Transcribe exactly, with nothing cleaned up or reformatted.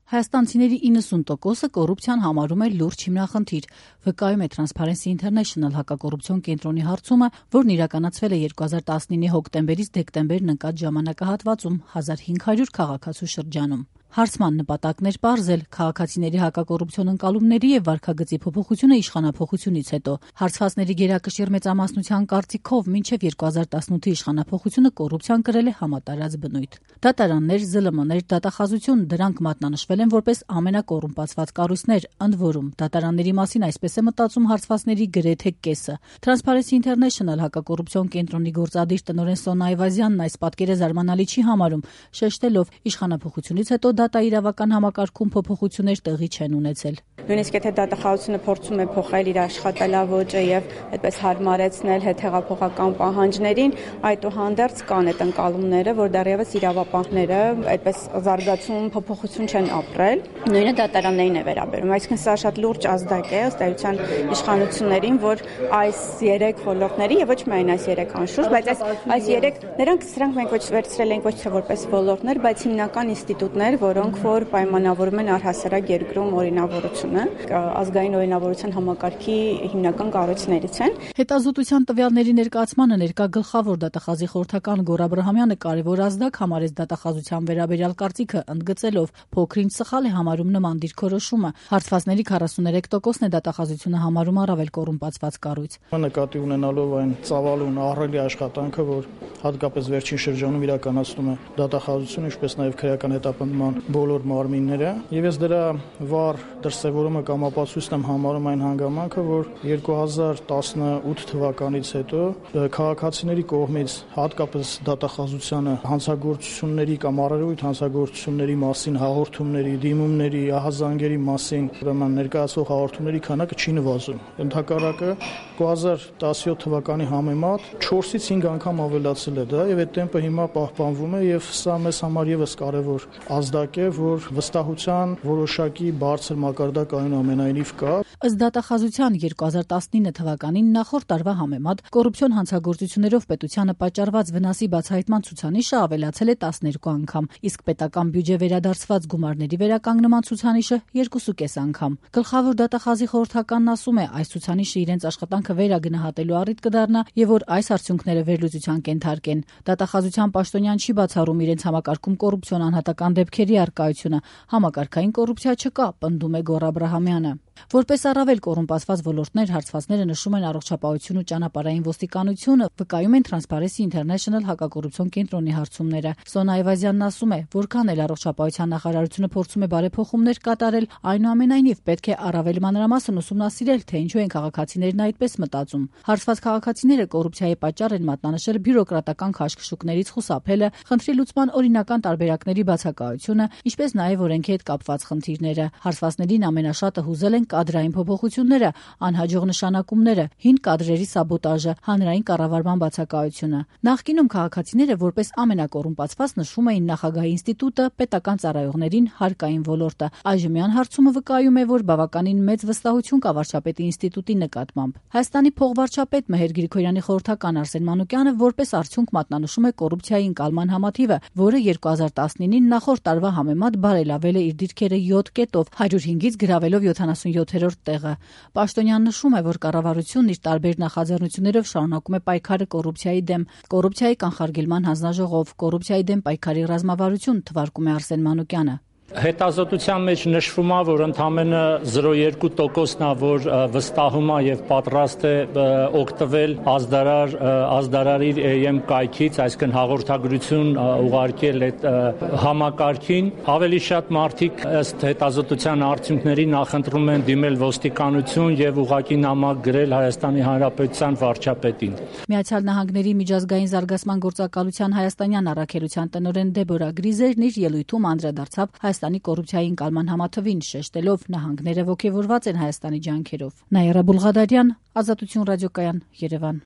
Հայաստանցիների իննսուն տոկոսը կոռուպցիան համարում է լուրջ հիմնախնդիր, վկայում է Transparency International հակակոռուպցիոն կենտրոնի հարցումը, որն իրականացվել է երկու հազար տասնինը հոկտեմբերից դեկտեմբերն ընկած ժամանակահատվածում հազար հինգ հարյուր քաղաքացու շրջանում։ Հարցման նպատակն էր պարզել քաղաքացիների հակակոռուպցիոն ընկալումների եւ վարքագծի փոփոխությունը իշխանափոխությունից հետո։ Հարցվածների գերակշիռ մեծամասնության կարծիքով մինչեւ երկու հազար տասնութի իշխանափոխությունը կոռուպցիան կրել է համատարած բնույթ։ Դատարաններ, զլ մ ներ, դատախազություն դրանք մատնանշվել են որպես ամենակոռումպացված կառույցներ, ընդ որում դատարանների մասին այսպես է մտածում հարցվածների գրեթե կեսը։ Transparency International հակակոռուպցիոն կենտրոնի գործադիր տնօրեն Սոնա Այվազյանն այս պատկերը զարմանալի չի համարում, շեշտելով իշխանափոխությունից հետո դատաիրավական համակարգում փոփոխություններ տեղի չեն ունեցել։ Նույնիսկ եթե դատախազությունը փորձում է փոխել իր աշխատելավոճը եւ այդպես հարմարեցնել հետհեղափոխական պահանջներին, այդուհանդերձ կան այդ ընկալումները, որ դեռևս իրավապահները այդպես զարգացում փոփոխություն չեն ապրել։ Նույնը դատարաններին է վերաբերում, այսինքն սա շատ լուրջ ազդակ է ըստ էության իշխանություններին, որ այս երեք ոլորտների եւ ոչ միայն այս երեք անշուշտ, բայց այս այս երեք նրանք սրանք մենք ոչ վերցրել ենք ոչ թե որպես ոլորտներ, բայց հիմնական ինստիտուտներ, որոնք որ պայմանավորում են առհասարակ երկրում օրինավորությունը, ազգային օրինավորության համակարգի հիմնական կառույցներից են։ Հետազոտության տվյալների ներկայացմանը ներկա գլխավոր դատախազի խորհրդական Գոռ Աբրահամյանը կարևոր ազդակ համարեց դատախազության վերաբերյալ կարծիքը, ընդգծելով փոքրինչ սխալ է համարում նման դիրքորոշումը։ Հարցվածների քառասուներեք տոկոսն է դատախազությունը համարում առավել կոռումպացված կառույց։ Նկատի ունենալով այն ծավալուն ահռելի աշխատանքը, որ հատկապես վերջին շրջանում իրականացնում է դատախազությունը, ինչպես նաև քրեական հետապնդման բոլոր մարմինները, եւ ես դրա վառ դրսևորումը կամ ապացույցն եմ համարում այն հանգամանքը, որ երկու հազար տասնութ թվականից հետո քաղաքացիների կողմից հատկապես դատախազությանը հանցագործությունների կամ առերևույթ հանցագործությունների մասին հաղորդումների, դիմումների, ահազանգերի մասին ուրեմն ներկայացվող հաղորդումների քանակը չի նվազում։ Ընդհակառակը երկու հազար տասնյոթ թվականի համեմատ չորսից հինգ անգամ ավելացել է դա եւ այդ տեմպը հիմա պահպանվում է եւ սա մեզ համար եւս կարեւոր ազդակ է, որ վստահության որոշակի բարձր մակարդակ այնուամենայնիվ կա։ Ըստ դատախազության երկու հազար տասնինը թվականին նախորդ տարվա համեմատ կոռուպցիոն հանցագործություններով պետությանը պատճառված վնասի բացահայտման ցուցանիշը ավելացել է տասներկու անգամ, իսկ պետական բյուջե վերադարձված գումարների վերականգնման ցուցանիշը երկուսուկես անգամ։ Գլխավոր դատախազի խորհրդականն ասում է, այս ցուցանիշը իրենց աշխատանքը վերագնահատելու առիթ կդառնա եւ որ այս արդյունքները վերլուծության կենթարկեն։ Դատախազության պաշտոնյան չի բացառում իրենց համակարգում կոռուպցիոն անհատական դեպքերի առկայությունը, համակարգային կոռուպցիա չկա, պնդում է Գոռ Աբրահամյանը։ Որպես առավել կոռումպացված ոլորտներ հարցվածները նշում են առողջապահություն ու ճանապարհային ոստիկանությունը, վկայում են Transparency International հակակոռուպցիոն կենտրոնի հարցումները։ Սոնա Այվազյանն ասում է, որքան էլ առողջապահության նախարարությունը փորձում է բարեփոխումներ կատարել, այնուամենայնիվ պետք է առավել մանրամասն ուսումնասիրել, թե ինչու են քաղաքացիներն այդպես մտածում։ Հարցված քաղաքացիները կոռուպցիայի պատճառ են մատնանշել բյուրոկրատական քաշքշուկներից խուսափելը, խնդրի լուծման օրինական տարբերակների բացակայությունը, ինչպես նաև օրենքի հետ կապված խնդիրները։ Հարցվածներին ամենաշատը հուզել են կադրային փոփոխությունները, անհաջող նշանակումները, հին կադրերի սաբոտաժը, հանրային կառավարման բացակայությունը։ Նախկինում քաղաքացիները որպես ամենակոռումպացված նշում էին նախագահի ինստիտուտը, պետական ծառայողներին, հարկային ոլորտը։ Այժմյան հարցումը վկայում է, որ բավականին մեծ վստահություն կա վարչապետի ինստիտուտի նկատմամբ։ Հայաստանի փոխվարչապետ Մեհեր Գրիգորյանի խորհրդական Արսեն Մանուկյանը որպես արդյունք մատնանշում է կոռուպցիայի ընկալման համաթիվը, որը երկու հազար տասնինին նախորդ տարվա համեմատ բարելավել է իր դիրքերը յոթ կետով, հարյուր հինգից գրավելով յոթանասունյոթերորդ տեղը։ Պաշտոնյան նշում է, որ կառավարությունն իր տարբեր նախաձեռնություններով շարունակում է պայքարը կոռուպցիայի դեմ։ Կոռուպցիայի կանխարգելման հանձնաժողով, կոռուպցիայի դեմ պայքարի ռազմավարություն, թվարկում է Արսեն Մանուկյանը։ Հետազոտության մեջ նշվում է, որ ընդամենը զրո կόμμα երկու տոկոսն է, որ վստահում է եւ պատրաստ է օգտվել ազդարար ազդարարի էեմ կայքից, այսինքն հաղորդագրություն ուղարկել այդ համակարգին։ Ավելի շատ մարդիկ ըստ հետազոտության արդյունքների նախընտրում են դիմել ոստիկանություն եւ ուղղակի նամակ գրել Հայաստանի Հանրապետության վարչապետին։ Միացյալ Նահանգների միջազգային զարգացման գործակալության հայաստանյան առաքելության տնօրեն Դեբորա Գրիզերն իր ելույթում անդրադարձավ Հայաստանի կոռուպցիայի ընկալման համաթվին, շեշտելով նահանգները ոգևորված են Հայաստանի ջանքերով։ Նաիրա Բուլղադարյան, Ազատություն ռադիոկայան, Երևան։